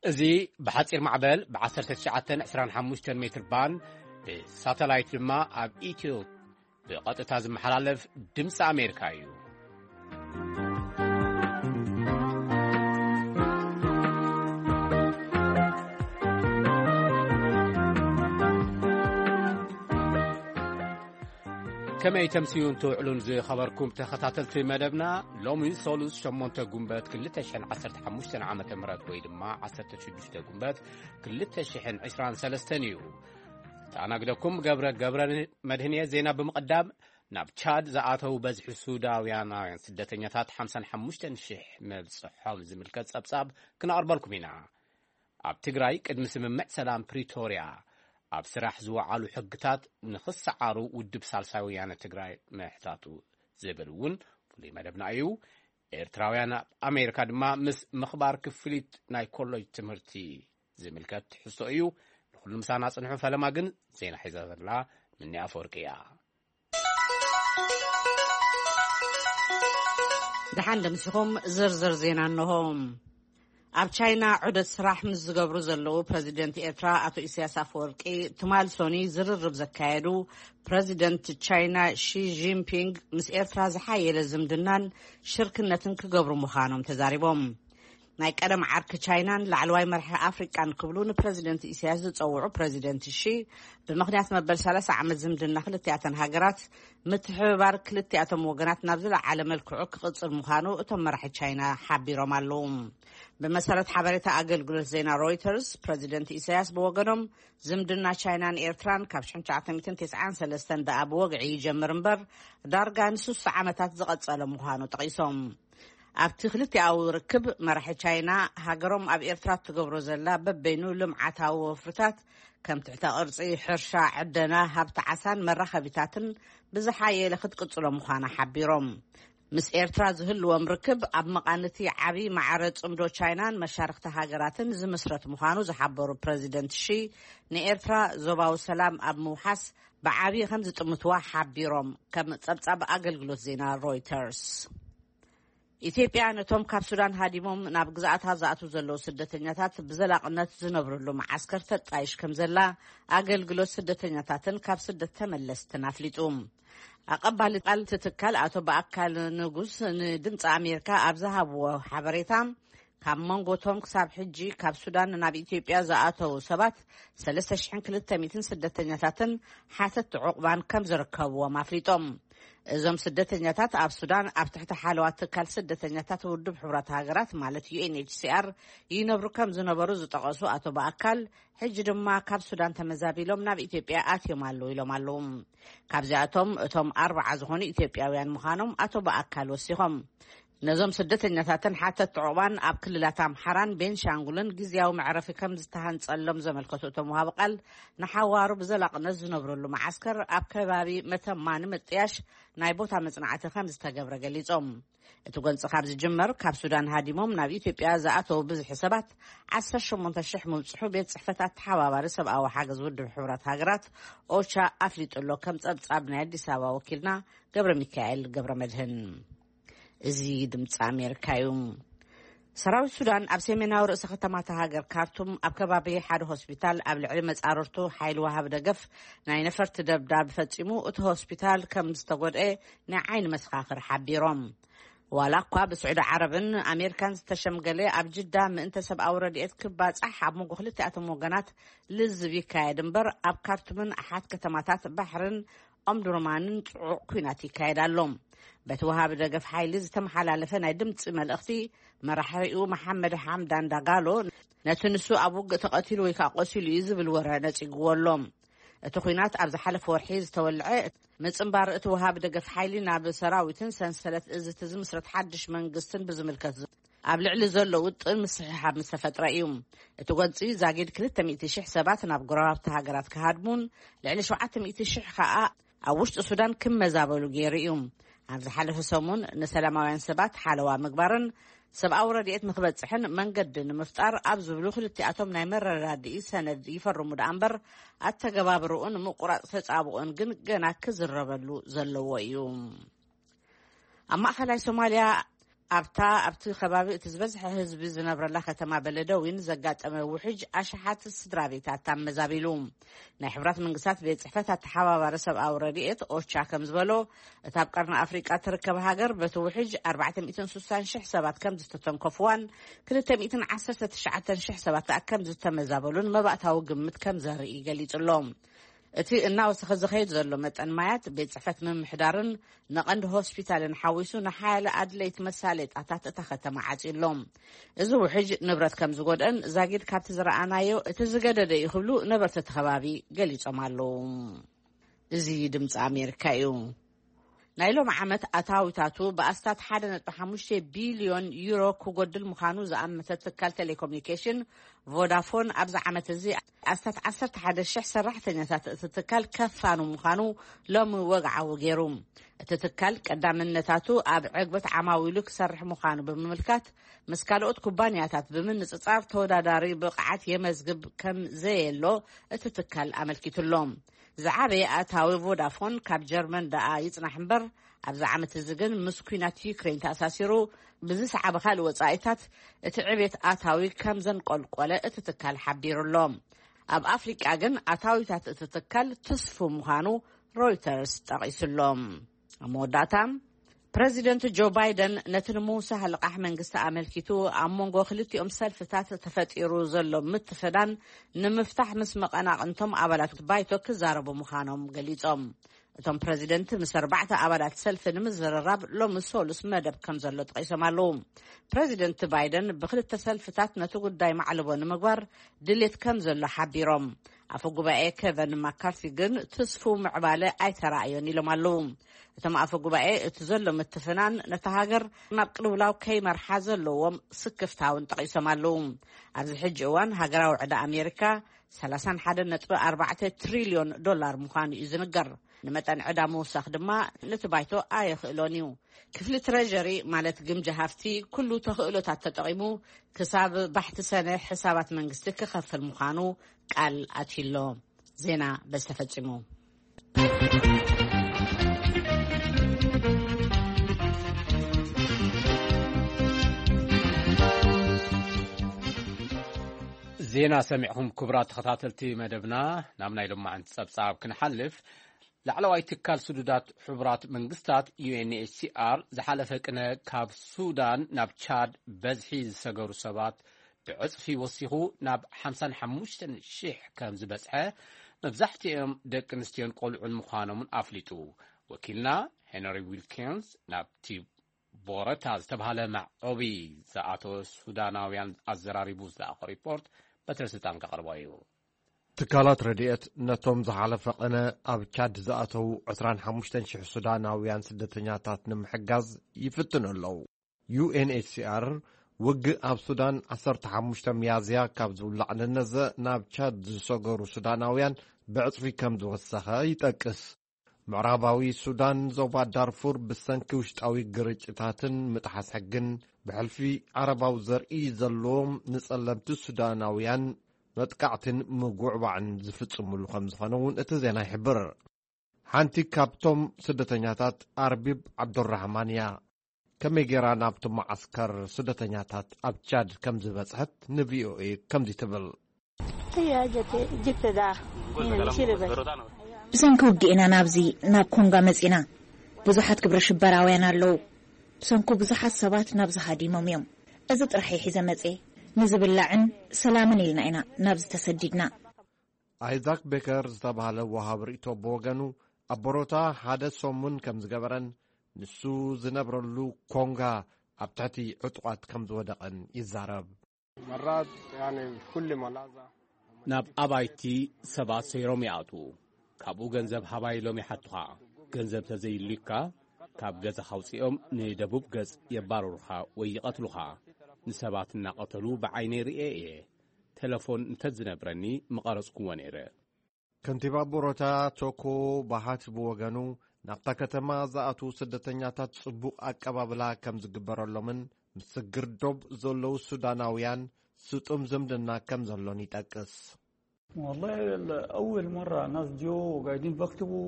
እዚ ብሓጺር ማዕበል ብ1925 ሜትር ባንድ፣ ብሳተላይት ድማ ኣብ ኢትዮ ብቐጥታ ዝመሓላለፍ ድምፂ ኣሜሪካ እዩ። ከመይ ተምስዩን ትውዕሉን ዝኸበርኩም ተኸታተልቲ መደብና፣ ሎሚ ሰሉስ ሸሞንተ ጉንበት ክልተ ሽሕን ዓሰርተ ሓሙሽተን ዓመተ ምህረት ወይ ድማ ዓሰርተ ሽዱሽተ ጉንበት ክልተ ሽሕን ዕስራን ሰለስተን እዩ። ተኣናግደኩም ገብረ፣ ገብረ መድህንየ። ዜና ብምቕዳም፣ ናብ ቻድ ዝኣተው በዝሒ ሱዳውያናውያን ስደተኛታት ሓምሳን ሓሙሽተን ሽሕ ምብጽሖም ዝምልከት ጸብጻብ ክነቕርበልኩም ኢና። ኣብ ትግራይ ቅድሚ ስምምዕ ሰላም ፕሪቶርያ ኣብ ስራሕ ዝወዓሉ ሕግታት ንኽሰዓሩ ውድብ ሳልሳይ ወያነ ትግራይ ምሕታቱ ዝብል እውን ፍሉይ መደብና እዩ። ኤርትራውያን ኣብ ኣሜሪካ ድማ ምስ ምኽባር ክፍሊት ናይ ኮሌጅ ትምህርቲ ዝምልከት ትሕዝቶ እዩ። ንኹሉ ምሳና ጽንሑ። ፈለማ ግን ዜና ሒዛ ዘላ ምኒ ኣፈወርቂ እያ። ደሓን ደምሲኹም። ዝርዝር ዜና እንሆ። ኣብ ቻይና ዑደት ስራሕ ምስ ዝገብሩ ዘለዉ ፕረዚደንት ኤርትራ ኣቶ ኢሳያስ ኣፈወርቂ፣ ትማል ሶኒ ዝርርብ ዘካየዱ ፕረዚደንት ቻይና ሺ ጂንፒንግ፣ ምስ ኤርትራ ዝሓየለ ዝምድናን ሽርክነትን ክገብሩ ምዃኖም ተዛሪቦም። ናይ ቀደም ዓርኪ ቻይናን ላዕለዋይ መራሒ ኣፍሪቃን ክብሉ ንፕረዚደንት ኢሳያስ ዝጸውዑ ፕረዚደንት ሺ፣ ብምኽንያት መበል ሰላሳ ዓመት ዝምድና ክልቲኣተን ሃገራት፣ ምትሕብባር ክልቲኣቶም ወገናት ናብ ዝለዓለ መልክዑ ክቕጽል ምዃኑ እቶም መራሒ ቻይና ሓቢሮም ኣለዉ። ብመሰረት ሓበሬታ ኣገልግሎት ዜና ሮይተርስ፣ ፕረዚደንት ኢሳያስ ብወገኖም፣ ዝምድና ቻይናን ኤርትራን ካብ ሽሕን ትሽዓተ ሚእትን ተስዓን ሰለስተን ደኣ ብወግዒ ይጀምር እምበር፣ ዳርጋ ንስሳ ዓመታት ዝቐጸለ ምዃኑ ጠቒሶም። ኣብቲ ክልቲኣዊ ርክብ፣ መራሒ ቻይና ሃገሮም ኣብ ኤርትራ እትገብሮ ዘላ በበይኑ ልምዓታዊ ወፍርታት፣ ከም ትሕተ ቅርጺ፣ ሕርሻ፣ ዕደና፣ ሃብቲ ዓሳን መራኸቢታትን ብዝሓየለ ክትቅጽሎ ምዃና ሓቢሮም። ምስ ኤርትራ ዝህልዎም ርክብ ኣብ መቓን እቲ ዓቢ ማዕረ ጽምዶ ቻይናን መሻርኽቲ ሃገራትን ዝምስረት ምዃኑ ዝሓበሩ ፕረዚደንት ሺ፣ ንኤርትራ ዞባዊ ሰላም ኣብ ምውሓስ ብዓቢ ከም ዝጥምትዋ ሓቢሮም፣ ከም ጸብጻብ ኣገልግሎት ዜና ሮይተርስ። ኢትዮጵያ ነቶም ካብ ሱዳን ሃዲሞም ናብ ግዝኣታ ዝኣትዉ ዘለዉ ስደተኛታት ብዘላቕነት ዝነብርሉ መዓስከር ተጣይሽ ከም ዘላ ኣገልግሎት ስደተኛታትን ካብ ስደት ተመለስትን ኣፍሊጡ። ኣቐባሊ ቃል እቲ ትካል ኣቶ በኣካል ንጉስ ንድምፂ ኣሜሪካ ኣብ ዝሃብዎ ሓበሬታ፣ ካብ መንጎቶም ክሳብ ሕጂ ካብ ሱዳን ናብ ኢትዮጵያ ዝኣተዉ ሰባት ሰለስተ ሽሕን ክልተ ሚእትን ስደተኛታትን ሓተቲ ዑቕባን ከም ዝርከብዎም ኣፍሊጦም። እዞም ስደተኛታት ኣብ ሱዳን ኣብ ትሕቲ ሓለዋ ትካል ስደተኛታት ውድብ ሕቡራት ሃገራት ማለት ዩ ኤን ኤች ሲ ኣር ይነብሩ ከም ዝነበሩ ዝጠቐሱ ኣቶ በኣካል፣ ሕጂ ድማ ካብ ሱዳን ተመዛቢሎም ናብ ኢትዮጵያ ኣትዮም ኣለዉ ኢሎም ኣለዉ። ካብዚኣቶም እቶም ኣርባዓ ዝኾኑ ኢትዮጵያውያን ምዃኖም ኣቶ በኣካል ወሲኾም። ነዞም ስደተኛታትን ሓተት ዕቑባን ኣብ ክልላት ኣምሓራን ቤንሻንጉልን ግዝያዊ መዕረፊ ከም ዝተሃንጸሎም ዘመልከቱ እቶም ወሃቢ ቃል፣ ንሓዋሩ ብዘላቕነት ዝነብርሉ መዓስከር ኣብ ከባቢ መተማ ንምጥያሽ ናይ ቦታ መጽናዕቲ ከም ዝተገብረ ገሊጾም። እቲ ጎንጺ ካብ ዝጅመር፣ ካብ ሱዳን ሃዲሞም ናብ ኢትዮጵያ ዝኣተዉ ብዝሒ ሰባት ዓሰርተ ሸሞንተ ሽሕ ምብጽሑ ቤት ጽሕፈት ኣተሓባባሪ ሰብኣዊ ሓገዝ ውድብ ሕቡራት ሃገራት ኦቻ ኣፍሊጡ ኣሎ፣ ከም ጸብጻብ ናይ ኣዲስ ኣበባ ወኪልና ገብረ ሚካኤል ገብረ መድህን። እዚ ድምፂ ኣሜሪካ እዩ። ሰራዊት ሱዳን ኣብ ሰሜናዊ ርእሰ ከተማ እታ ሃገር ካርቱም ኣብ ከባቢ ሓደ ሆስፒታል ኣብ ልዕሊ መጻርርቱ ሓይሊ ወሃቢ ደገፍ ናይ ነፈርቲ ደብዳብ ፈጺሙ፣ እቲ ሆስፒታል ከም ዝተጎድኤ ናይ ዓይኒ መሰኻኽር ሓቢሮም። ዋላ እኳ ብስዑዲ ዓረብን ኣሜሪካን ዝተሸምገለ ኣብ ጅዳ ምእንተ ሰብኣዊ ረድኤት ክባጻሕ ኣብ መንጎ ክልቲኣቶም ወገናት ልዝብ ይካየድ እምበር፣ ኣብ ካርቱምን ኣሓት ከተማታት ባሕርን ኦምዱርማንን ጽዑቕ ኲናት ይካየድ ኣሎ። በቲ ወሃቢ ደገፍ ሓይሊ ዝተመሓላለፈ ናይ ድምጺ መልእኽቲ፣ መራሒኡ መሓመድ ሓምዳን ዳጋሎ ነቲ ንሱ ኣብ ውግእ ተቐቲሉ ወይ ከኣ ቆሲሉ እዩ ዝብል ወረ ነጺግዎ ኣሎ። እቲ ኲናት ኣብ ዝሓለፈ ወርሒ ዝተወልዐ፣ ምጽንባር እቲ ወሃቢ ደገፍ ሓይሊ ናብ ሰራዊትን ሰንሰለት እዝቲ ዝምስረት ሓድሽ መንግስትን ብዝምልከት ኣብ ልዕሊ ዘሎ ውጥን ምስሕሓብ ምስ ተፈጥረ እዩ። እቲ ጎንጺ ዛጊድ ክልተ ሚእቲ ሽሕ ሰባት ናብ ጎረባብቲ ሃገራት ክሃድሙን ልዕሊ ሸውዓተ ሚእቲ ሽሕ ከኣ ኣብ ውሽጢ ሱዳን ክመዛበሉ ገይሩ እዩ። ኣብ ዝሓለፈ ሰሙን ንሰላማውያን ሰባት ሓለዋ ምግባርን ሰብኣዊ ረድኤት ንክበጽሕን መንገዲ ንምፍጣር ኣብ ዝብሉ ክልቲኣቶም ናይ መረዳድኢ ሰነድ ይፈርሙ ደኣ እምበር፣ ኣተገባብርኡን ምቁራጽ ተጻብኦን ግን ገና ክዝረበሉ ዘለዎ እዩ። ኣብ ማእኸላይ ሶማልያ ኣብታ ኣብቲ ከባቢ እቲ ዝበዝሐ ህዝቢ ዝነብረላ ከተማ በለደዊን ዘጋጠመ ውሕጅ ኣሽሓት ስድራ ቤታት ኣመዛቢሉ። ናይ ሕብራት መንግስታት ቤት ጽሕፈት ኣተሓባባሪ ሰብኣዊ ረድኤት ኦቻ ከም ዝበሎ፣ እታ ኣብ ቀርኒ ኣፍሪቃ ትርከብ ሃገር በቲ ውሕጅ ኣርባዕተ ሚእትን ስሳን ሽሕ ሰባት ከም ዝተተንከፍዋን ክልተ ሚእትን ዓሰርተ ትሽዓተን ሽሕ ሰባት ከኣ ከም ዝተመዛበሉን መባእታዊ ግምት ከም ዘርኢ ገሊጹ ኣሎ። እቲ እናወሰኸ ዝኸይድ ዘሎ መጠን ማያት ቤት ጽሕፈት ምምሕዳርን ንቐንዲ ሆስፒታልን ሓዊሱ ንሓያለ ኣድለይቲ መሳለጣታት እታ ከተማ ዓጽዩ ኣሎ። እዚ ውሕጅ ንብረት ከም ዝጎድአን ዛጊድ ካብቲ ዝረኣናዮ እቲ ዝገደደ እዩ ክብሉ ነበርቲ እቲ ከባቢ ገሊጾም ኣለዉ። እዚ ድምፂ ኣሜሪካ እዩ። ናይ ሎም ዓመት ኣታዊታቱ ብኣስታት ሓደ ነጥቢ ሓሙሽተ ቢልዮን ዩሮ ክጎድል ምዃኑ ዝኣመተ ትካል ቴሌኮሙኒኬሽን ቮዳፎን ኣብዚ ዓመት እዚ ኣስታት ዓሰርተ ሓደ ሽሕ ሰራሕተኛታት እቲ ትካል ከፋኑ ምዃኑ ሎሚ ወግዓዊ ገይሩ። እቲ ትካል ቀዳምነታቱ ኣብ ዕግበት ዓማዊሉ ክሰርሕ ምዃኑ ብምምልካት፣ ምስ ካልኦት ኩባንያታት ብምንጽጻር ተወዳዳሪ ብቕዓት የመዝግብ ከም ዘየሎ እቲ ትካል ኣመልኪቱሎ። ዝዓበየ ኣታዊ ቮዳፎን ካብ ጀርመን ደኣ ይጽናሕ እምበር፣ ኣብዚ ዓመት እዚ ግን ምስ ኲናት ዩክሬን ተኣሳሲሩ ብዝሰዓበ ካልእ ወጻኢታት እቲ ዕቤት ኣታዊ ከም ዘንቆልቆለ እቲ ትካል ሓቢሩሎ። ኣብ ኣፍሪቃ ግን ኣታዊታት እቲ ትካል ትስፉ ምዃኑ ሮይተርስ ጠቒሱሎ። ኣብ መወዳእታ፣ ፕረዚደንት ጆ ባይደን ነቲ ንምውሳኽ ልቓሕ መንግስቲ ኣመልኪቱ ኣብ መንጎ ክልቲኦም ሰልፍታት ተፈጢሩ ዘሎ ምትፍናን ንምፍታሕ ምስ መቐናቕንቶም ኣባላት ባይቶ ክዛረቡ ምዃኖም ገሊጾም። እቶም ፕረዚደንት ምስ ኣርባዕተ ኣባላት ሰልፊ ንምዝርራብ ሎሚ ሰሉስ መደብ ከም ዘሎ ጠቒሶም ኣለዉ። ፕረዚደንት ባይደን ብክልተ ሰልፍታት ነቲ ጉዳይ ማዕልቦ ንምግባር ድሌት ከም ዘሎ ሓቢሮም። ኣፈ ጉባኤ ኬቨን ማካርቲ ግን ትስፉ ምዕባለ ኣይተራእዮን ኢሎም ኣለዉ። እቶም ኣፈ ጉባኤ እቲ ዘሎ ምትፍናን ነታ ሃገር ናብ ቅልውላው ከይመርሓ ዘለዎም ስክፍታውን ጠቒሶም ኣለዉ። ኣብዚ ሕጂ እዋን ሃገራዊ ዕዳ ኣሜሪካ ሰላሳን ሓደን ነጥቢ ኣርባዕተ ትሪልዮን ዶላር ምዃኑ እዩ ዝንገር። ንመጠን ዕዳ ምውሳኽ ድማ ነቲ ባይቶ ኣየኽእሎን እዩ። ክፍሊ ትረጀሪ ማለት ግምጃ ሃፍቲ ኩሉ ተኽእሎታት ተጠቒሙ ክሳብ ባሕቲ ሰነ ሕሳባት መንግስቲ ክኸፍል ምዃኑ ቃል ኣትዩሎ። ዜና በዚ ተፈጺሙ። ዜና ሰሚዕኹም ክቡራት ተኸታተልቲ መደብና፣ ናብ ናይ ሎማዓንቲ ጸብጻብ ክንሓልፍ። ላዕለዋይ ትካል ስዱዳት ሕቡራት መንግስታት ዩ ኤን ኤች ሲ ኣር ዝሓለፈ ቅነ ካብ ሱዳን ናብ ቻድ በዝሒ ዝሰገሩ ሰባት ብዕጽፊ ወሲኹ ናብ ሓምሳን ሓሙሽተን ሽሕ ከም ዝበጽሐ፣ መብዛሕትኦም ደቂ ኣንስትዮን ቆልዑን ምዃኖምን ኣፍሊጡ። ወኪልና ሄንሪ ዊልኪንስ ናብቲ ቦረታ ዝተባህለ መዕቆቢ ዝኣተወ ሱዳናውያን ኣዘራሪቡ ዝለኣኾ ሪፖርት በትረ ስልጣን ከቕርቦ እዩ። ትካላት ረድኤት ነቶም ዝሓለፈ ቅነ ኣብ ቻድ ዝኣተዉ ዕስራን ሓሙሽተን ሽሕ ሱዳናውያን ስደተኛታት ንምሕጋዝ ይፍትኑ ኣለዉ። ዩ ኤን ኤች ሲ ኣር ውግእ ኣብ ሱዳን ዓሰርተ ሓሙሽተ ሚያዝያ ካብ ዝውላዕ ንነዘ ናብ ቻድ ዝሰገሩ ሱዳናውያን ብዕጽፊ ከም ዝወሰኸ ይጠቅስ። ምዕራባዊ ሱዳን ዞባ ዳርፉር ብሰንኪ ውሽጣዊ ግርጭታትን ምጥሓስ ሕግን ብሕልፊ ዓረባዊ ዘርኢ ዘለዎም ንጸለምቲ ሱዳናውያን መጥቃዕትን ምጉዕባዕን ዝፍጽሙሉ ከም ዝኾነ እውን እቲ ዜና ይሕብር። ሓንቲ ካብቶም ስደተኛታት ኣርቢብ ዓብዱራህማን እያ። ከመይ ጌራ ናብቲ መዓስከር ስደተኛታት ኣብ ቻድ ከም ዝበጽሐት ን ቪ ኦ ኤ ከምዚ ትብል። ብሰንኪ ውግእ ኢና ናብዚ፣ ናብ ኮንጋ መጺና። ብዙሓት ግብረ ሽበራውያን ኣለዉ። ብሰንኩ ብዙሓት ሰባት ናብዚ ሃዲሞም እዮም። እዚ ጥራሕ እዩ ሒዘ መጽየ። ንዝብላዕን ሰላምን ኢልና ኢና ናብዚ ተሰዲድና። ኣይዛክ ቤከር ዝተባህለ ወሃብ ርእይቶ ብወገኑ፣ ኣብ ቦሮታ ሓደ ሰሙን ከም ዝገበረን ንሱ ዝነብረሉ ኮንጋ ኣብ ትሕቲ ዕጡቓት ከም ዝወደቐን ይዛረብ። ናብ ኣባይቲ ሰባት ሰይሮም ይኣትዉ። ካብኡ ገንዘብ ሃባ ኢሎም ይሓቱኻ። ገንዘብ ተዘይልዩካ ካብ ገዛኻ ኣውጺኦም ንደቡብ ገጽ የባርሩኻ ወይ ይቐትሉኻ። ንሰባት እናቐተሉ ብዓይነይ ርእየ እየ። ቴለፎን እንተዝነብረኒ ምቐረጽኩዎ ነይረ። ከንቲባ ቦሮታ ቶኮ ባሃት ብወገኑ፣ ናብታ ከተማ ዝኣትዉ ስደተኛታት ጽቡቕ ኣቀባብላ ከም ዝግበረሎምን ምስ ስግር ዶብ ዘለዉ ሱዳናውያን ስጡም ዝምድና ከም ዘሎን ይጠቅስ። والله أول مرة ناس جو قاعدين بكتبوا.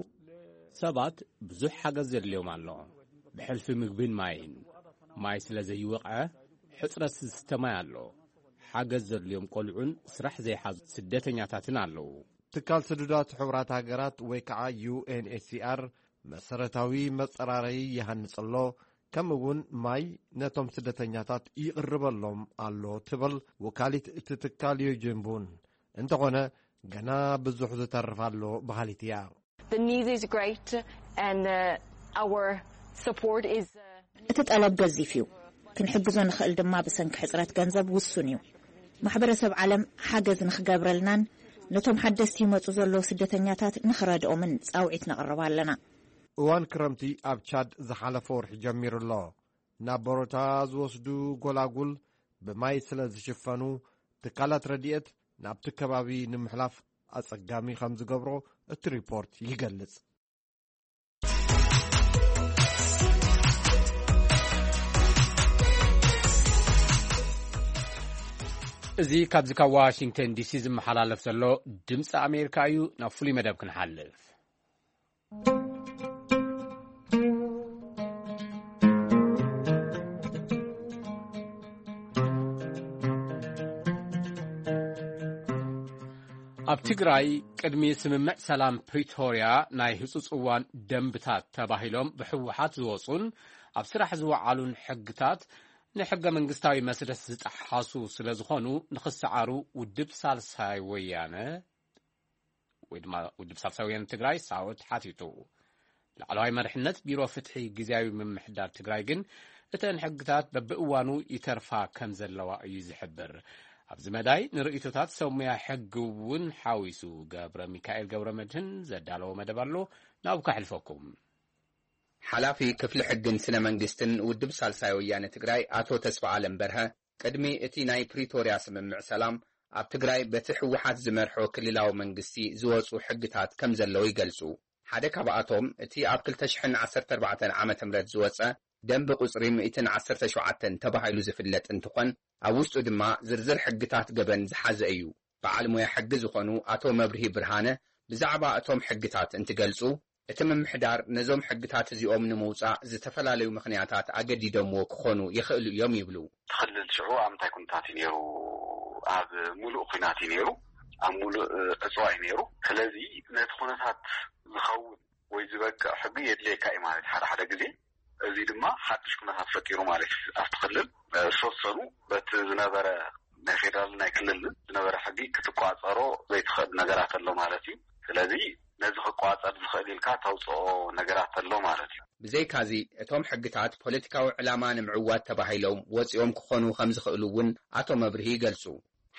ሰባት ብዙሕ ሓገዝ ዘድልዮም ኣሎ፣ ብሕልፊ ምግብን ማይን። ማይ ስለ ዘይወቕዐ፣ ሕጽረት ዝስተ ማይ ኣሎ። ሓገዝ ዘድልዮም ቆልዑን ስራሕ ዘይሓዙ ስደተኛታትን ኣለዉ። ትካል ስዱዳት ሕቡራት ሃገራት ወይ ከዓ ዩ ኤን ኤች ሲ ኣር መሰረታዊ መጸራረዪ ይሃንጽ ኣሎ፣ ከምኡ እውን ማይ ነቶም ስደተኛታት ይቕርበሎም ኣሎ ትብል ወካሊት እቲ ትካል ዮጅንቡን። እንተኾነ ገና ብዙሕ ዝተርፍ ኣሎ በሃሊት እያ። The need is great and uh, our support is uh, እቲ ጠለብ ገዚፍ እዩ። ክንሕግዞ ንኽእል ድማ ብሰንኪ ሕጽረት ገንዘብ ውሱን እዩ። ማሕበረሰብ ዓለም ሓገዝ ንኽገብረልናን ነቶም ሓደስቲ ይመጹ ዘለዉ ስደተኛታት ንኽረድኦምን ጻውዒት ነቕርብ ኣለና። እዋን ክረምቲ ኣብ ቻድ ዝሓለፈ ወርሒ ጀሚሩ ኣሎ። ናብ በሮታ ዝወስዱ ጎላጉል ብማይ ስለ ዝሽፈኑ፣ ትካላት ረድኤት ናብቲ ከባቢ ንምሕላፍ ኣጸጋሚ ከም ዝገብሮ እቲ ሪፖርት ይገልጽ። እዚ ካብዚ ካብ ዋሽንግተን ዲሲ ዝመሓላለፍ ዘሎ ድምፂ ኣሜሪካ እዩ። ናብ ፍሉይ መደብ ክንሓልፍ። ኣብ ትግራይ ቅድሚ ስምምዕ ሰላም ፕሪቶርያ ናይ ህጹጽ እዋን ደንብታት ተባሂሎም ብህወሓት ዝወጹን ኣብ ስራሕ ዝወዓሉን ሕግታት ንሕገ መንግስታዊ መስርሕ ዝጠሓሱ ስለ ዝኾኑ ንኽሰዓሩ ውድብ ሳልሳይ ወያነ ወይ ድማ ውድብ ሳልሳይ ወያነ ትግራይ ሳወት ሓቲቱ። ላዕለዋይ መሪሕነት ቢሮ ፍትሒ ግዝያዊ ምምሕዳር ትግራይ ግን እተን ሕግታት በብእዋኑ ይተርፋ ከም ዘለዋ እዩ ዝሕብር። ኣብዚ መዳይ ንርእይቶታት ሰብ ሙያ ሕጊ እውን ሓዊሱ ገብረ ሚካኤል ገብረ መድህን ዘዳለዎ መደብ ኣሎ፣ ናብኡ ከሕልፈኩም። ሓላፊ ክፍሊ ሕግን ስነ መንግስትን ውድብ ሳልሳይ ወያነ ትግራይ ኣቶ ተስፋ ኣለም በርሀ ቅድሚ እቲ ናይ ፕሪቶርያ ስምምዕ ሰላም ኣብ ትግራይ በቲ ህወሓት ዝመርሖ ክልላዊ መንግስቲ ዝወፁ ሕግታት ከም ዘለዉ ይገልፁ። ሓደ ካብኣቶም እቲ ኣብ ክልተ ሽሕን ዓሰርተ ኣርባዕተን ዓመተ ምህረት ዝወፀ ደንቢ ቁፅሪ ሚእትን ዓሰርተ ሸውዓተን ተባሂሉ ዝፍለጥ እንትኾን ኣብ ውሽጡ ድማ ዝርዝር ሕግታት ገበን ዝሓዘ እዩ። በዓል ሞያ ሕጊ ዝኾኑ ኣቶ መብርሂ ብርሃነ ብዛዕባ እቶም ሕግታት እንትገልፁ፣ እቲ ምምሕዳር ነዞም ሕግታት እዚኦም ንምውፃእ ዝተፈላለዩ ምኽንያታት ኣገዲዶምዎ ክኾኑ ይኽእሉ እዮም ይብሉ። እቲ ክልል ሽዑ ኣብ ምንታይ ኩነታት እዩ ነይሩ? ኣብ ሙሉእ ኩናት እዩ ነይሩ። ኣብ ሙሉእ ዕፅዋ እዩ ነይሩ። ስለዚ ነቲ ኩነታት ዝኸውን ወይ ዝበቅዕ ሕጊ የድልየካ እዩ ማለት እዩ ሓደ ሓደ ግዜ። እዚ ድማ ሓድሽ ኩነታት ፈጢሩ ማለት እዩ። ኣብቲ ክልል ዝተወሰኑ በቲ ዝነበረ ናይ ፌደራል ናይ ክልል ዝነበረ ሕጊ ክትቋፀሮ ዘይትኽእል ነገራት ኣሎ ማለት እዩ። ስለዚ ነዚ ክቋፀር ዝኽእል ኢልካ ተውፅኦ ነገራት ኣሎ ማለት እዩ። ብዘይካዚ እቶም ሕግታት ፖለቲካዊ ዕላማ ንምዕዋት ተባሂሎም ወፂኦም ክኾኑ ከም ዝኽእሉ እውን ኣቶ መብርሂ ይገልፁ።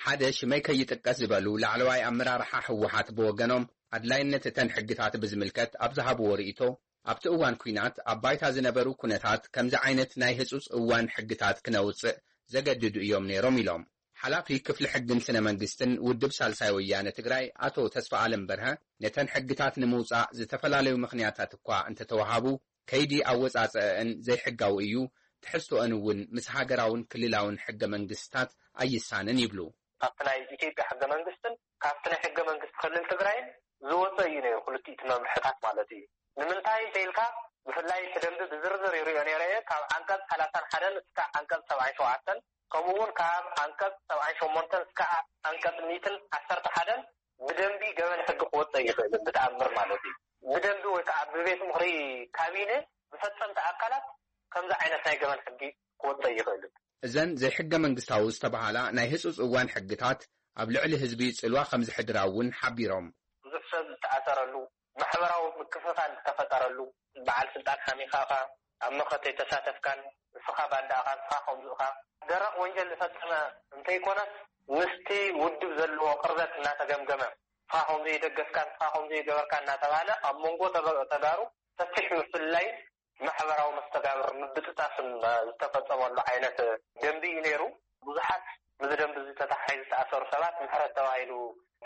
ሓደ ሽመይ ከይጥቀስ ዝበሉ ላዕለዋይ ኣመራርሓ ህወሓት ብወገኖም ኣድላይነት እተን ሕግታት ብዝምልከት ኣብ ዝሃብዎ ርእይቶ ኣብቲ እዋን ኲናት ኣብ ባይታ ዝነበሩ ኩነታት ከምዚ ዓይነት ናይ ህጹጽ እዋን ሕግታት ክነውጽእ ዘገድዱ እዮም ነይሮም ኢሎም። ሓላፊ ክፍሊ ሕግን ስነ መንግስትን ውድብ ሳልሳይ ወያነ ትግራይ ኣቶ ተስፋ ኣለም በርሀ ነተን ሕግታት ንምውጻእ ዝተፈላለዩ ምኽንያታት እኳ እንተተዋሃቡ ከይዲ ኣወጻጸአን ዘይሕጋዊ እዩ፣ ትሕዝቶአን እውን ምስ ሃገራውን ክልላውን ሕገ መንግስታት ኣይሳንን ይብሉ። ካብቲ ናይ ኢትዮጵያ ሕገ መንግስትን ካብቲ ናይ ሕገ መንግስቲ ክልል ትግራይን ዝወፀ እዩ ነይሩ፣ ክልቲኡ እቲ መምርሕታት ማለት እዩ። ንምንታይ እንተኢልካ፣ ብፍላይ እቲ ደንቢ ብዝርዝር ይሪኦ ነይረ እየ፣ ካብ ዓንቀፅ ሰላሳን ሓደን እስካዕ ዓንቀፅ ሰብዓን ሸውዓተን፣ ከምኡ እውን ካብ ዓንቀፅ ሰብዓን ሸሞንተን እስካዕ ዓንቀፅ ሚእትን ዓሰርተ ሓደን ብደንቢ ገበን ሕጊ ክወፀ ይኽእል ብተኣምር ማለት እዩ። ብደንቢ ወይ ከዓ ብቤት ምኽሪ ካቢነ ብፈፀምቲ ኣካላት ከምዚ ዓይነት ናይ ገበን ሕጊ ክወፀ ይኽእል። እዘን ዘይሕገ መንግስታዊ ዝተባሃላ ናይ ህፁፅ እዋን ሕግታት ኣብ ልዕሊ ህዝቢ ፅልዋ ከም ዝሕድራ እውን ሓቢሮም። ብዙሕ ሰብ ዝተኣሰረሉ፣ ማሕበራዊ ምክፍፋል ዝተፈጠረሉ፣ በዓል ስልጣን ሓሚኻ ኢኻ፣ ኣብ መኸተ ኣይተሳተፍካን፣ ንስኻ ባንዳ ኢኻ፣ ንስኻ ከምዚ ኢኻ፣ ደረቕ ወንጀል ዝፈጸመ እንተይኮነስ ምስቲ ውድብ ዘለዎ ቅርበት እናተገምገመ፣ ንስኻ ከምዚ ይደገፍካ፣ ንስኻ ከምዚ ይገበርካ እናተባህለ ኣብ መንጎ ተበ-፣ ተጋሩ ሰፊሕ ምፍልላይን ማሕበራዊ መስተጋብር ምብጥጣስን ዝተፈጸመሉ ዓይነት ደንቢ እዩ ነይሩ። ብዙሓት ምስዚ ደንቢ እዚ ተተሓሒዙ ዝተኣሰሩ ሰባት ምሕረት ተባሂሉ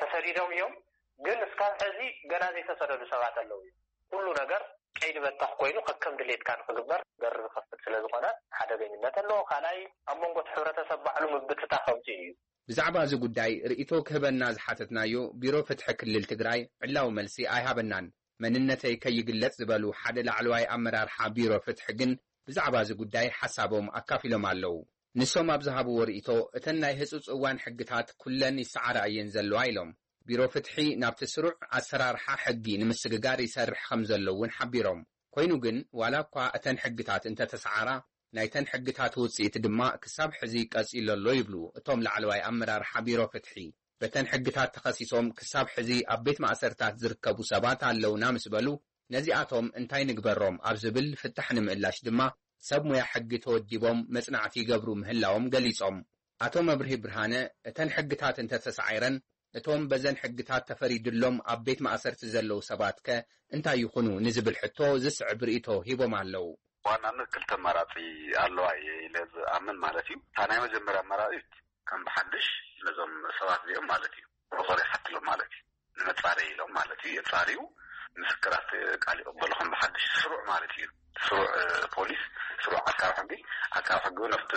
ተሰዲዶም እዮም። ግን እስካብ ሕዚ ገና ዘይተሰደዱ ሰባት ኣለዉ እዮም። ኩሉ ነገር ቀይዲ በታኽ ኮይኑ ከከም ድሌትካ ንኽግበር በር ዝኸፍት ስለ ዝኾነ ሓደገኝነት ኣለዎ። ካልኣይ ኣብ መንጎ እቲ ሕብረተሰብ ባዕሉ ምብጥጣስ ኣምፅኡ እዩ። ብዛዕባ እዚ ጉዳይ ርእይቶ ክህበና ዝሓተትናዮ ቢሮ ፍትሒ ክልል ትግራይ ዕላዊ መልሲ ኣይሃበናን። መንነተይ ከይግለጽ ዝበሉ ሓደ ላዕለዋይ ኣመራርሓ ቢሮ ፍትሒ ግን ብዛዕባ እዚ ጉዳይ ሓሳቦም ኣካፊሎም ኣለዉ። ንሶም ኣብ ዝሃብዎ ርእይቶ፣ እተን ናይ ህጹጽ እዋን ሕግታት ኩለን ይሰዓራ እየን ዘለዋ ኢሎም። ቢሮ ፍትሒ ናብቲ ስሩዕ ኣሰራርሓ ሕጊ ንምስግጋር ይሰርሕ ከም ዘሎ እውን ሓቢሮም። ኮይኑ ግን፣ ዋላ እኳ እተን ሕግታት እንተተሰዓራ፣ ናይተን ሕግታት ውጽኢት ድማ ክሳብ ሕዚ ቀጺሉ ኣሎ ይብሉ እቶም ላዕለዋይ ኣመራርሓ ቢሮ ፍትሒ። በተን ሕግታት ተኸሲሶም ክሳብ ሕዚ ኣብ ቤት ማእሰርታት ዝርከቡ ሰባት ኣለውና ምስ በሉ፣ ነዚኣቶም እንታይ ንግበሮም ኣብ ዝብል ፍታሕ ንምእላሽ ድማ ሰብ ሙያ ሕጊ ተወዲቦም መጽናዕቲ ይገብሩ ምህላዎም ገሊጾም። ኣቶ መብርሂ ብርሃነ፣ እተን ሕግታት እንተተሳዒረን፣ እቶም በዘን ሕግታት ተፈሪድሎም ኣብ ቤት ማእሰርቲ ዘለዉ ሰባት ከ እንታይ ይኹኑ ንዝብል ሕቶ ዝስዕብ ርእይቶ ሂቦም ኣለዉ። ዋናነት ክልተ ኣማራጺ ኣለዋ እየ ኢለ ዝኣምን ማለት እዩ። እታ ናይ መጀመርያ ኣማራጺት ከም ብሓድሽ ነዞም ሰባት እዚኦም ማለት እዩ ቁጽሪ ይሓትሎም ማለት እዩ። ንመጻረይ ኢሎም ማለት እዩ። የጻርዩ፣ ምስክራት ቃል ይቕበሉ ከም ብሓድሽ ስሩዕ ማለት እዩ። ስሩዕ፣ እ፣ ፖሊስ፣ ስሩዕ ዓቃቢ ሕጊ፣ ዓቃቢ ሕጊ እውን ኣብቲ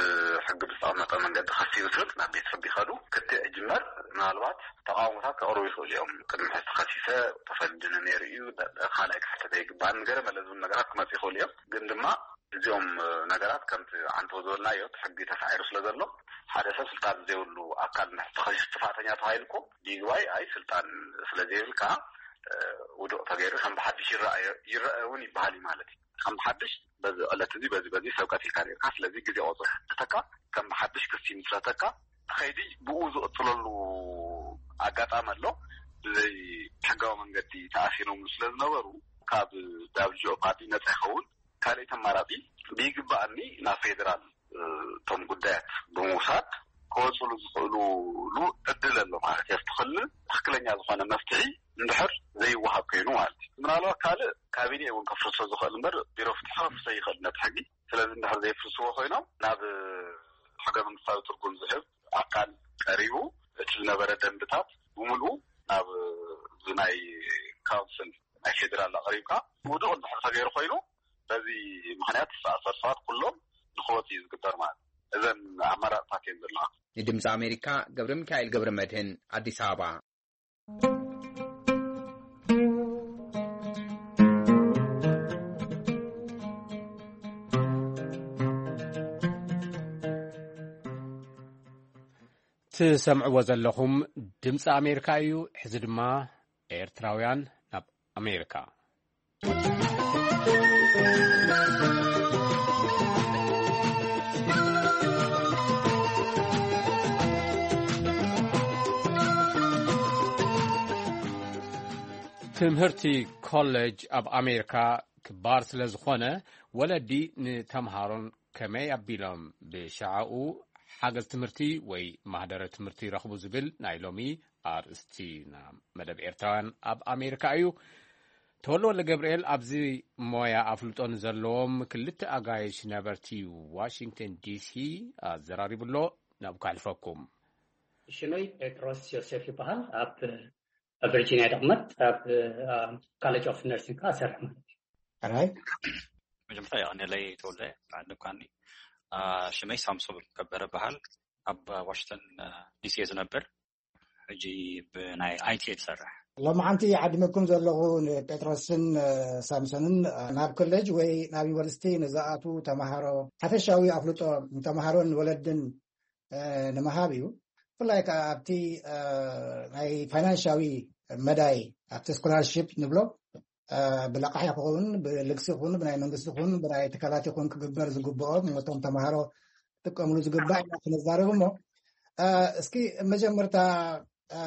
ሕጊ ብዝተቐመጠ መንገዲ ክሲ ይምስርት፣ ናብ ቤት ፍርዲ ይኸዱ። ክትዕ ይጅመር። ምናልባት ተቃውሞታት ከቕርቡ ይኽእሉ እዮም። ቅድሚ ሕዚ ተኸሲሰ ተፈሪዱኒ ነይሩ እዩ፣ ደ-፣ ካልኣይ ክሕተት ኣይግባእን፣ ገለ መለ ዝብሉ ነገራት ክመጽኡ ይኽእሉ እዮም። ግን ድማ እዚኦም፣ እ፣ ነገራት ከምቲ ዓንተው ዝበልናዮ፣ እቲ ሕጊ ተሳዒሩ ስለ ዘሎ፣ ሓደ ሰብ ስልጣን ዘይብሉ ኣካል እንድሕር ተኸሲሱ ጥፋተኛ ተባሂሉ እኮ፣ ብይግባይ ኣይ ስልጣን ስለ ዘይብልካ፣ እ፣ ውዱቕ ተገይሩ ከም ብሓድሽ ይረኣዮ፣ ይረአ እውን ይበሃል እዩ ማለት እዩ። ከም ብሓድሽ በዚ ዕለት እዚ በዚ በዚ ሰብ ቀቲልካ ነርካ፣ ስለዚ ግዜ ቆጽር ተካ ከም ብሓድሽ ክሲ ይምስረተካ፣ እቲ ከይዲ ብኡ ዝቕጽለሉ ኣጋጣሚ ኣሎ። ብዘይ ሕጋዊ መንገዲ ተኣሲሮምሉ ስለ ዝነበሩ፣ ካብ ዳብሊው ጂ ኦ ፓርቲ ነጻ ይኸውን። ካልኣይቲ ኣማራጺ ብይግባኣኒ ናብ ፌደራል፣ እ፣ እቶም ጉዳያት ብምውሳድ ክወጽሉ ዝኽእሉሉ ዕድል ኣሎ ማለት እዩ። ኣብቲ ክልል ትኽክለኛ ዝኾነ መፍትሒ እንድሕር ዘይወሃብ ኮይኑ ማለት እዩ። ምናልባት ካልእ ካቢኔ እውን ከፍርሶ ዝኽእል እምበር ቢሮ ፍትሒ ከፍርሶ ይኽእል ነቲ ሕጊ። ስለዚ እንድሕር ዘይፍርስዎ ኮይኖም ናብ ሕገ መንግስታዊ ትርጉም ዝህብ ኣካል ቀሪቡ እቲ ዝነበረ ደንብታት ብምልኡ ናብ እዚ ናይ ካውንስል ናይ ፌደራል ኣቕሪብካ ውዱቕ እንድሕር ተገይሩ ኮይኑ በዚ ምኽንያት ዝተኣሰሩ ሰባት ኩሎም ንክወፁ እዩ ዝግበር ማለት እዩ። እዘን ኣማራፅታት እየን ዘለዋ። ንድምፂ ኣሜሪካ ገብረ ሚካኤል ገብረ መድህን ኣዲስ ኣበባ። ትሰምዕዎ ዘለኹም ድምፂ ኣሜሪካ እዩ። ሕዚ ድማ ኤርትራውያን ናብ ኣሜሪካ። ትምህርቲ ኮሌጅ ኣብ ኣሜሪካ ክባር ስለ ዝኾነ፣ ወለዲ ንተምሃሮን ከመይ ኣቢሎም ብሸዓኡ ሓገዝ ትምህርቲ ወይ ማህደረ ትምህርቲ ይረኽቡ ዝብል ናይ ሎሚ ኣርእስቲና። መደብ ኤርትራውያን ኣብ ኣሜሪካ እዩ። ተወልደ ወልደ ገብርኤል ኣብዚ ሞያ ኣፍልጦ ንዘለዎም ክልተ ኣጋይሽ ነበርቲ ዋሽንግተን ዲሲ ኣዘራሪቡ ኣሎ። ናብ ከሕልፈኩም። ሽመይ ጴጥሮስ ዮሴፍ ይበሃል። ኣብ፣ ኣብ ቨርጂኒያ ደቕመጥ ኣብ፣ አ፣ ኮሌጅ ኦፍ ነርሲንግ ከኣ እሰርሕ ማለት እዩ። ሕራይ። መጀመርታ የቐንየለይ ተወልደ፣ ብዓል ልኳኒ። አ፣ ሽመይ ሳምሶም ከበረ በሃል። ኣብ ዋሽንግተን፣ አ፣ ዲሲ እየ ዝነብር። ሕጂ ብናይ ኣይ ቲ እየ ዝሰርሕ። ሎማዓንቲ ዓዲመኩም ዘለኹ ንጴጥሮስን፣ አ፣ ሳምሶንን፣ አ፣ ናብ ኮሌጅ ወይ ናብ ዩኒቨርሲቲ ንዝኣትዉ ተማሃሮ ሓፈሻዊ ኣፍልጦ ንተማሃሮን ወለድን፣ አ፣ ንምሃብ እዩ። ብፍላይ ከኣ ኣብቲ፣ አ፣ ናይ ፋይናንሻዊ መዳይ፣ ኣብቲ ስኮላርሺፕ ንብሎ፣ አ፣ ብለቃሕ ይኹን፣ ብልግሲ ይኹን፣ ብናይ መንግስቲ ይኹን፣ ብናይ ትካላት ይኹን ክግበር ዝግብኦ፣ ነቶም ተማሃሮ ክጥቀምሉ ዝግባእ ኢና ክንዛረብ እሞ፣ አ፣ እስኪ መጀመርታ፣ አ፣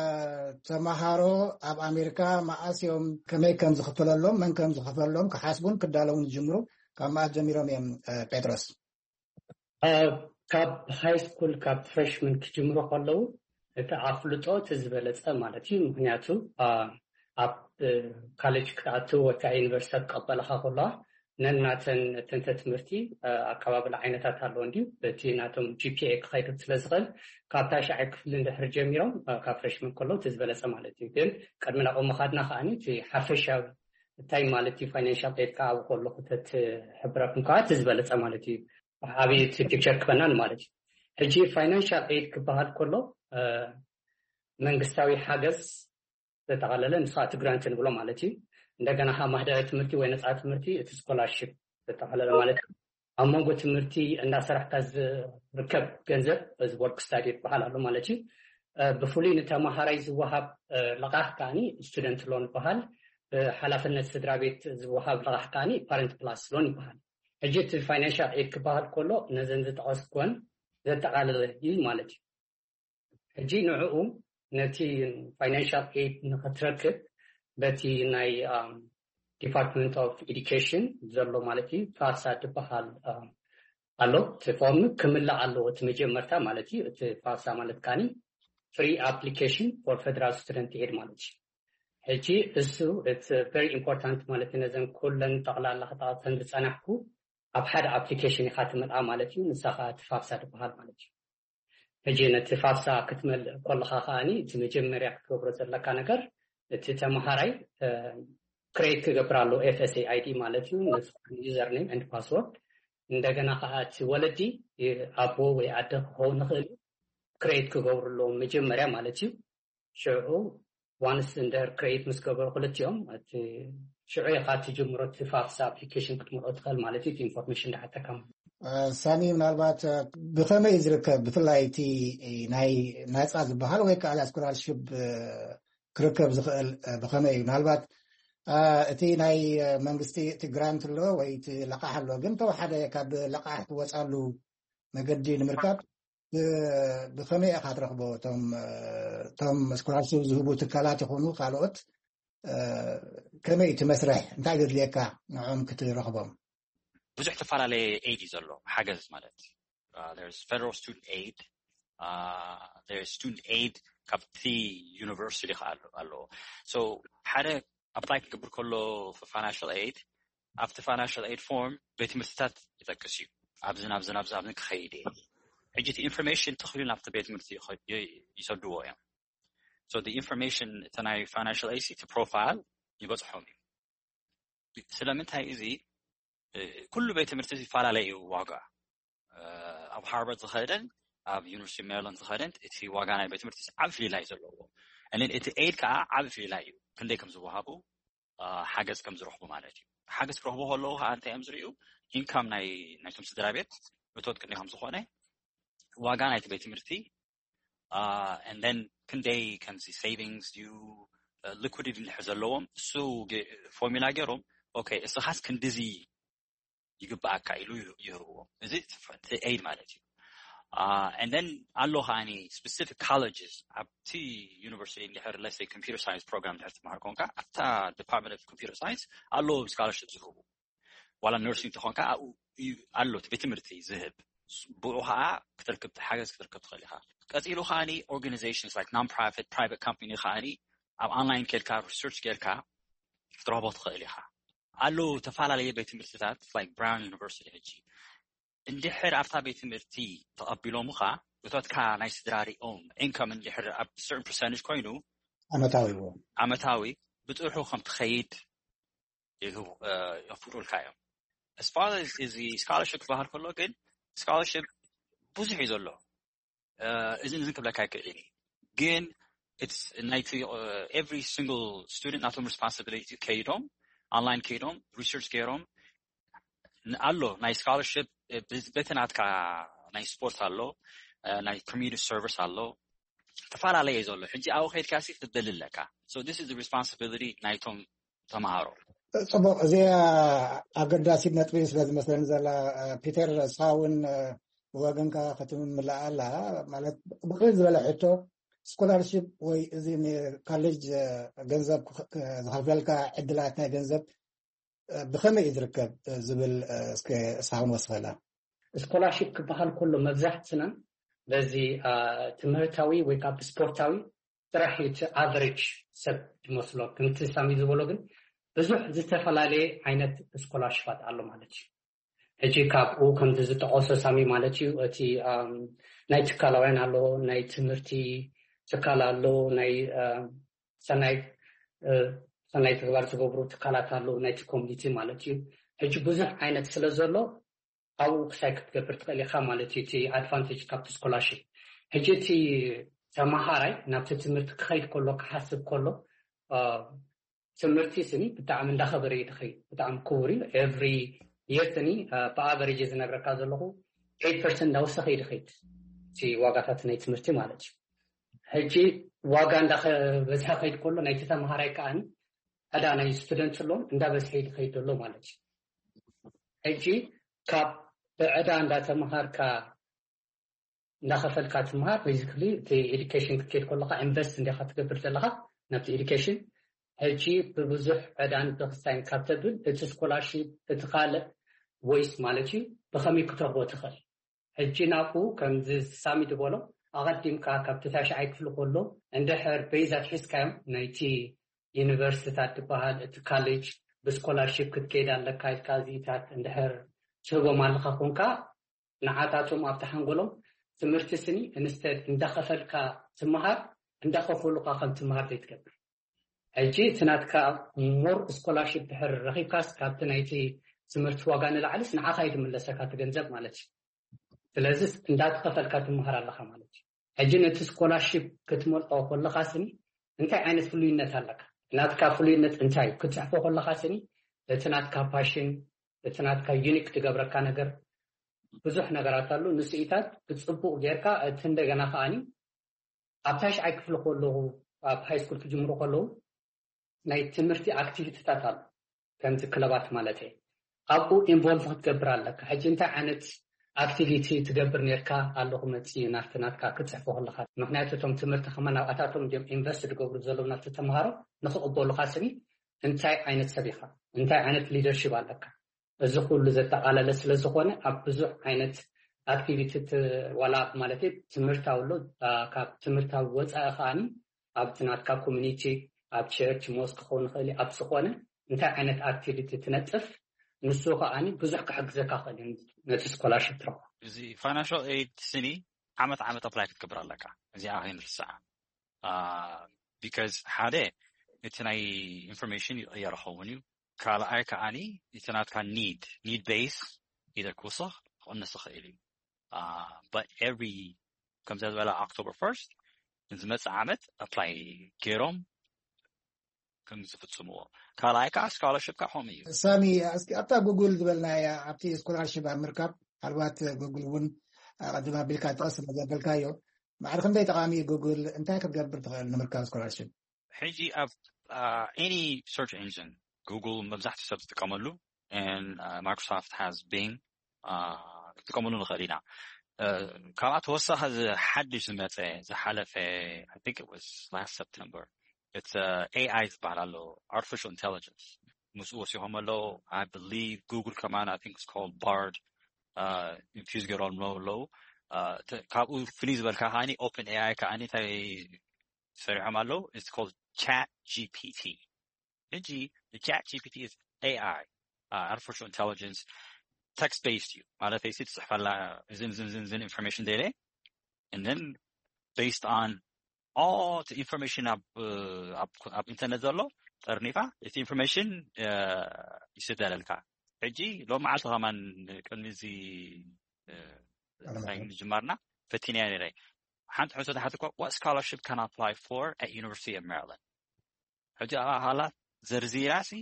ተማሃሮ ኣብ ኣሜሪካ መዓስ እዮም፣ ከመይ ከም ዝኽፈለሎም፣ መን ከም ዝኽፈለሎም ክሓስቡን ክዳለውን ዝጅምሩ፣ ካብ መዓስ ጀሚሮም እዮም፣ አ፣ ጴጥሮስ? አ፣ ካብ ሃይ ስኩል፣ ካብ ፍሬሽመን ክጅምሩ ከለዉ፣ እቲ ኣፍልጦ እቲ ዝበለጸ ማለት እዩ። ምኽንያቱ፣ አ፣ ኣብ፣ እ፣ ካሌጅ ክትኣትው ወይ ከዓ ዩኒቨርሲቲ ክቐበልኻ ከለዋ፣ ነናተን ተንተ ትምህርቲ፣ አ፣ ኣቀባብላ ዓይነታት ኣለዎ እንድዩ። እቲ ናቶም ጂ ፒ ኤ ክኸይድ ስለ ዝኽእል፣ ካብ ታሽዓይ ክፍሊ እንድሕር ጀሚሮም፣ አ፣ ካብ ፍሬሽመን ከለዉ እቲ ዝበለጸ ማለት እዩ። ግን ቅድሚ ናብኡ ምኻድና ከኣኒ፣ እቲ ሓፈሻዊ እንታይ ማለት እዩ ፋይናንሻል ኤድ ከኣ ኣብኡ ከለኹ ተትሕብረኩም ከኣ እቲ ዝበለጸ ማለት እዩ። ዓብዪ እቲ ፒክቸር ክበናን ማለት እዩ። ሕጂ ፋይናንሻል ኤድ ክበሃል ከሎ፣ እ፣ መንግስታዊ ሓገዝ ዘጠቓለለ፣ ንሱ እቲ ግራንት ንብሎ ማለት እዩ። እንደገና ከኣ ማህደረ ትምህርቲ ወይ ነፃ ትምህርቲ፣ እቲ ስኮላርሺፕ ዘጠቓለለ ማለት እዩ። ኣብ መንጎ ትምህርቲ እንዳሰራሕካ ዝርከብ ገንዘብ እዚ work study ይበሃል ኣሎ ማለት እዩ። ብፍሉይ ንተማሃራይ ዝወሃብ ልቓሕ ከዓኒ student loan ይበሃል። ብሓላፍነት ስድራ ቤት ዝወሃብ ልቓሕ ከዓኒ parent plus loan ይበሃል። ሕጂ እቲ financial aid ክበሃል ከሎ ነዘን ዝጠቐስኩወን ዘጠቓለለ እዩ ማለት እዩ። ሕጂ ንዕኡ ነቲ financial aid ንኽትረክብ በቲ ናይ Department of Education ዘሎ ማለት እዩ ፋሳ ዝበሃል ኣሎ። እቲ ፎርም ክምላእ ኣለዎ እቲ መጀመርታ ማለት እዩ። እቲ ፋሳ ማለት ከዓኒ free application for federal student aid ማለት እዩ። ሕጂ እሱ it's very important ማለት እዩ። ነዘን ኩለን ጠቕላላ ክጠቐሰን ዝፀናሕኩ ኣብ ሓደ application ኢኻ ትመልኣ ማለት እዩ። ንሳ ከዓ እቲ ፋሳ ዝበሃል ማለት እዩ። ሕጂ ነቲ ፋሳ ክትመልእ ከለኻ ከዓኒ እቲ መጀመርያ ክትገብሮ ዘለካ ነገር እቲ ተምሃራይ create ክገብር ኣሎ FSA ID ማለት እዩ። username and password እንደገና ከዓ እቲ ወለዲ ኣቦ ወይ ኣደ ክኸውን ይኽእል እዩ create ክገብሩ ኣለዎም መጀመርያ ማለት እዩ። ሽዑ once እንድሕር create ምስ ገበሩ ክልቲኦም እቲ ሽዑ ኢኻ ትጅምሮ እቲ ፋፍሳ application ክትመልኦ ትኽእል ማለት እዩ። እቲ information እንዳሓተካ ማለት ሳሚ ምናልባት ብኸመይ ዝርከብ ብፍላይ እቲ ናይ ናፃ ዝበሃል ወይ ከዓ scholarship ክርከብ ዝኽእል ብኸመይ እዩ? ምናልባት እቲ ናይ መንግስቲ እቲ grant ኣሎ ወይ እቲ ለቃሕ ኣሎ፣ ግን ተወሓደ ካብ ለቃሕ ትወፃሉ መገዲ ንምርካብ ብኸመይ ኢኻ ትረኽቦ? እቶም scholarship ዝህቡ ትካላት ይኹኑ ካልኦት ከመይ እቲ መስርሕ እንታይ ዘድልየካ ንዕኦም ክትረኽቦም? ብዙሕ ተፈላለየ aid እዩ ዘሎ ሓገዝ ማለት federal student aid student aid ካብቲ university ከዓ ኣለዎ። ሓደ apply ክገብር ከሎ financial aid ኣብቲ financial aid form ቤት ትምህርትታት ይጠቅስ እዩ። ኣብዚ ናብዚ ናብዚ ኣብዚ ክኸይድ እየ። ሕጂ እቲ information ተኽሉ ናብቲ ቤት ትምህርቲ ይሰድዎ እዮም። So the information እቲ ናይ financial aid እቲ profile ይበፅሖም እዩ። ስለምንታይ እዚ ኩሉ ቤት ትምህርቲ ይፈላለ እዩ ዋጋ። ኣብ Harvard ዝኸደን ኣብ University of Maryland ዝኸደን እቲ ዋጋ ናይ ቤት ትምህርቲ ዓብ ፍልላይ ዘለዎ። And then እቲ aid ከዓ ዓብ ፍልላይ እዩ። ክንደይ ከም ዝወሃቡ ሓገዝ ከም ዝረኽቡ ማለት እዩ። ሓገዝ ክረኽቡ ከለዉ ከዓ እንታይ እዮም ዝርእዩ? Income ናይ ናይቶም ስድራ ቤት እቶት ክንደይ ከም ዝኾነ ዋጋ ናይቲ ቤት ትምህርቲ and then ክንደይ ከምዚ savings ድዩ liquidity እንድሕር ዘለዎም እሱ formula ገይሮም okay እስኻስ ክንድዚ ይግባኣካ ኢሉ ይህብዎም። እዚ aid ማለት እዩ። And then ኣሎ ከዓኒ specific colleges ኣብቲ university እንድሕር let's say computer science program እንድሕር ትመሃር ኮንካ ኣብታ Department of Computer Science ኣለዎም scholarship ዝህቡ ዋላ nursing ተኾንካ ኣብኡ ኣሎ እቲ ቤት ትምህርቲ ዝህብ ብኡ ከዓ ክትርክብ ሓገዝ ክትርከብ ትኽእል ኢኻ። ቀፂሉ ከዓኒ organizations like non-profit private company ከዓኒ ኣብ online ኬድካ research ጌርካ ክትረኽቦ ትኽእል ኢኻ። ኣለዉ ዝተፈላለዩ ቤት ትምህርትታት like Brown University ሕጂ እንድሕር ኣብታ ቤት ትምህርቲ ተቐቢሎምኻ እቶትካ ናይ ስድራ ሪኦም income እንድሕር ኣብ certain percentage ኮይኑ ዓመታዊ ዓመታዊ ብፅሑ ከም ትኸይድ የፍቅዱልካ እዮም። As far as እዚ scholarship ክበሃል ከሎ ግን scholarship ብዙሕ እዩ ዘሎ። እዚ ንዝን ክብለካ ይክእል እዩ ግን it's ናይቲ every single student ናቶም responsibility ከይዶም online ከይዶም research ገይሮም ኣሎ ናይ scholarship በቲ ናትካ ናይ ስፖርት ኣሎ ናይ community service ኣሎ ዝተፈላለየ ዘሎ ሕጂ ኣብኡ ከይድካ ሲ ክትደሊ ኣለካ። So this is the responsibility ናይቶም ተምሃሮ። ፅቡቅ፣ እዚኣ ኣገዳሲት ነጥቢ ስለ ዝመስለኒ ዘላ ፒተር፣ ንስኻ እውን ብወገንካ ክትምልኣ ኣላ ማለት ብቅልል ዝበለ ሕቶ ስኮላርሽፕ ወይ እዚ ንካሌጅ ገንዘብ ዝኸፍለልካ ዕድላት ናይ ገንዘብ ብኸመይ እዩ ዝርከብ ዝብል እስከ እስኻ ክንወስኸላ። ስኮላርሽፕ ክበሃል ከሎ መብዛሕትና በዚ ትምህርታዊ ወይ ካብ ስፖርታዊ ጥራሕ እዩ እቲ ኣቨሬጅ ሰብ ዝመስሎ። ከምቲ ሳሚ ዝበሎ ግን ብዙሕ ዝተፈላለየ ዓይነት ስኮላርሽፓት ኣሎ ማለት እዩ። ሕጂ ካብኡ ከምቲ ዝጠቐሶ ሳሚ ማለት እዩ እቲ ናይ ትካላውያን ኣሎ፣ ናይ ትምህርቲ ትካል ኣሎ፣ ናይ ሰናይ ሰናይ ተግባር ዝገብሩ ትካላት ኣለዉ ናይቲ ኮሚኒቲ ማለት እዩ። ሕጂ ብዙሕ ዓይነት ስለ ዘሎ ኣብኡ ክሳይ ክትገብር ትኽእል ኢኻ ማለት እዩ። እቲ ኣድቫንቴጅ ካብቲ ስኮላርሽፕ ሕጂ እቲ ተመሃራይ ናብቲ ትምህርቲ ክኸይድ ከሎ ክሓስብ ከሎ ትምህርቲ ስኒ ብጣዕሚ እንዳኸበረ እዩ ዝኸይድ። ብጣዕሚ ክቡር እዩ። ኤቭሪ yearly ብኣቨሬጅ ዝነግረካ ዘለኹ ኤይት ፐርሰንት እንዳወሰኸ ይድኸይድ እቲ ዋጋታት ናይ ትምህርቲ ማለት እዩ። ሕጂ ዋጋ እንዳበዝሐ ከይድ ከሎ ናይቲ ተምሃራይ ከኣን ዕዳ ናይ ስቱደንት ሎን እንዳበዝሐ ይድኸይድ ዘሎ ማለት እዩ። ሕጂ ካብ ብዕዳ እንዳተምሃርካ እንዳኸፈልካ ትምሃር። ቤዚክሊ እቲ ኤዱኬሽን ክትከይድ ከለካ ኢንቨስት እንዲኻ ትገብር ዘለካ ናብቲ ኤዱኬሽን። ሕጂ ብብዙሕ ዕዳን ብክስታይን ካብ ተብል እቲ ስኮላርሺፕ እቲ ካልእ ወይስ ማለት እዩ ብኸመይ ክትረኽቦ ትኽእል? ሕጂ ናብኡ ከምዚ ሳሚ ዝበሎ ኣቐዲምካ ካብቲ ታሽዓይ ክፍሊ ከሎ እንድሕር ቤዛት ሒዝካዮም ናይቲ ዩኒቨርሲቲታት ዝበሃል እቲ ካሌጅ ብስኮላርሺፕ ክትከይድ ኣለካ ኢልካ እዚኢታት እንድሕር ትህቦም ኣለካ ኮንካ ንዓታቶም ኣብቲ ሓንጎሎም ትምህርቲ ስኒ ኢንስተድ እንዳኸፈልካ ትምሃር እንዳኸፈሉካ ከም ትምሃር ዘይትገብር። ሕጂ እቲ ናትካ ሞር ስኮላርሺፕ ድሕር ረኺብካስ ካብቲ ናይቲ ትምህርቲ ዋጋ ንላዕሊስ ንዓኻ እዩ ዝምለሰካ እቲ ገንዘብ ማለት እዩ። ስለዚ እንዳተኸፈልካ ትምሃር ኣለኻ ማለት እዩ። ሕጂ ነቲ ስኮላርሺፕ ክትመልኦ ከለኻ ስኒ እንታይ ዓይነት ፍሉይነት ኣለካ? ናትካ ፍሉይነት እንታይ እዩ? ክትፅሕፎ ከለኻ ስኒ እቲ ናትካ ፓሽን እቲ ናትካ ዩኒክ ትገብረካ ነገር ብዙሕ ነገራት ኣሉ። ንስኢታት ብፅቡቕ ጌርካ እቲ እንደገና ከኣኒ ኣብ ታሽዓይ ክፍሊ ከለኹ ኣብ ሃይ ስኩል ክጅምሩ ከለዉ ናይ ትምህርቲ ኣክቲቪቲታት ኣሉ ከምዚ ክለባት ማለት እየ ኣብኡ ኢንቮልቭ ክትገብር ኣለካ። ሕጂ እንታይ ዓይነት ኣክቲቪቲ ትገብር ነርካ ኣለኹ መፂ ናፍቲ ናትካ ክትፅሕፎ ከለካ ምክንያቱ እቶም ትምህርቲ ከመ ናብኣታቶም እዮም ኢንቨስት ዝገብሩ ዘለዉ ናፍቲ ተምሃሮ ንክቕበሉካ ስኒ እንታይ ዓይነት ሰብ ኢኻ እንታይ ዓይነት ሊደርሽፕ ኣለካ እዚ ኩሉ ዘጠቓለለ ስለ ዝኾነ ኣብ ብዙሕ ዓይነት ኣክቲቪቲ ዋላ ማለት ትምህርታዊ ኣሎ ካብ ትምህርታዊ ወፃኢ ከዓኒ ኣብቲ ናትካ ኮሚኒቲ ኣብ ቸርች ሞስክ ክኸውን ይኽእል ኣብ ዝኾነ እንታይ ዓይነት ኣክቲቪቲ ትነጥፍ ንሱ ከዓኒ ብዙሕ ክሕግዘካ ክእል እዩ ነቲ ስኮላርሽፕ ትረኽቦ እዚ ፋይናንሻል ኤድ ስኒ ዓመት ዓመት ኣፕላይ ክትገብር ኣለካ እዚኣ ከይንርስዓ because ሓደ እቲ ናይ ኢንፎርሜሽን ይቕየር ኸውን እዩ ካልኣይ ከዓኒ እቲ ናትካ need need base either ክውስኽ ክቕንስ ይኽእል እዩ but every ከምዚ ዝበለ October first ንዝመፅእ ዓመት ኣፕላይ ገይሮም ከም ዝፍፅምዎ ካልኣይ ከዓ ስኮላርሽፕ ከዓ ከምኡ እዩ ሳሚ እስኪ ኣብታ ጉግል ዝበልናያ ኣብቲ ስኮላርሽፕ ኣብ ምርካብ ምናልባት ጉግል እውን ኣቐድም ኣቢልካ ጠቐስ ስለ ዘበልካዮ ማዕረ ክንደይ ጠቓሚ እዩ ጉግል እንታይ ክትገብር ትኽእል ንምርካብ ስኮላርሽፕ ሕጂ ኣብ any search engine Google መብዛሕትኡ ሰብ ዝጥቀመሉ and Microsoft has Bing ክጥቀመሉ ንኽእል ኢና። ካብኣ ተወሳኺ እዚ ሓድሽ ዝመፀ ዝሓለፈ I think it was last September it's AI ዝበሃል ኣሎ artificial intelligence ምስኡ ወሲኾም ኣለዉ I believe Google ከማን I think it's called Bard infuse ገይሮም ኣለዉ ካብኡ ፍልይ ዝበልካ ከዓኒ ኦፕን ኤኣይ ከዓኒ እንታይ ሰሪሖም ኣለዉ it's called ChatGPT ሕጂ ChatGPT is AI artificial intelligence text based እዩ ማለት ሲ ትፅሕፈላ እዝን ዝን ዝን ዝን information ደለ and then based on all the information ኣብ ኣብ ኢንተርነት ዘሎ ጠርኒፋ እቲ information ይስደለልካ ሕጂ ሎም መዓልቲ ከማን ቅድሚ እዚ ምጅማርና ፈቲንያ ነረ ሓንቲ ሕቶ ተሓትኳ what scholarship can I apply for at University of Maryland ሕጂ ኣብኣ ሃላ ዘርዚራ ሲ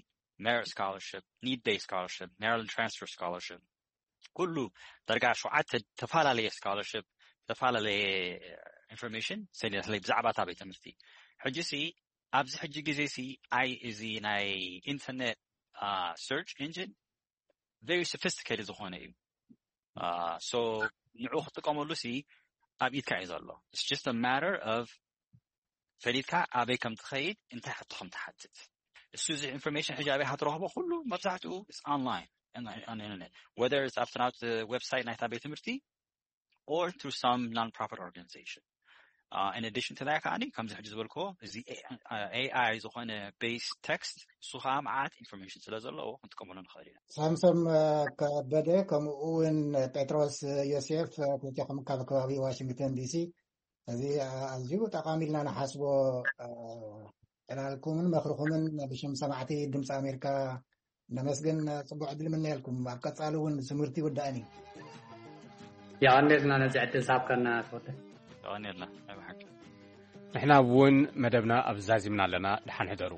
merit scholarship need based scholarship Maryland transfer scholarship ኩሉ ደርጋ ሸውዓተ ተፈላለየ scholarship ዝተፈላለየ information ሰሊናትለይ ብዛዕባ እታ ቤት ትምህርቲ ሕጂ ሲ ኣብዚ ሕጂ ግዜ ሲ ኣይ እዚ ናይ internet search engine very sophisticated ዝኾነ እዩ so ንዑ ክትጥቀመሉ ሲ ኣብ ኢድካ እዩ ዘሎ it's just a matter of ፈሊጥካ ኣበይ ከም ትኸይድ እንታይ ሕቶ ከም ትሓትት እሱ እዚ information ሕጂ ኣበይ ሃትረኽቦ ኩሉ መብዛሕትኡ online internet whether it's ኣብቲ ናብቲ website ናይታ ቤት ትምህርቲ or through some non-profit organization in addition to that ከዓኒ ከምዚ ሕጂ ዝበልክዎ እዚ AI ዝኾነ base text እሱ ከዓ መዓት information ስለ ዘለዎ ክንጥቀመሉ ንኽእል ኢና ሳምሶም ከበደ ከምኡ እውን ጴጥሮስ ዮሴፍ ክልቴኹም ካብ ከባቢ ዋሽንግተን ዲሲ እዚ ኣዝዩ ጠቓሚ ኢልና ንሓስቦ ዕላልኩምን መኽርኹምን ብሽም ሰማዕቲ ድምፂ ኣሜሪካ ነመስግን ፅቡቅ ዕድል ምነየልኩም ኣብ ቀፃሊ እውን ትምህርቲ ይውዳእን እዩ የቐኔልና ነዚ ዕድል ዝሃብካና ተወደ የቐኔልና ናይ ብሓቂ ንሕና እውን መደብና ኣብ ዛዚምና ኣለና ድሓን ሕደሩ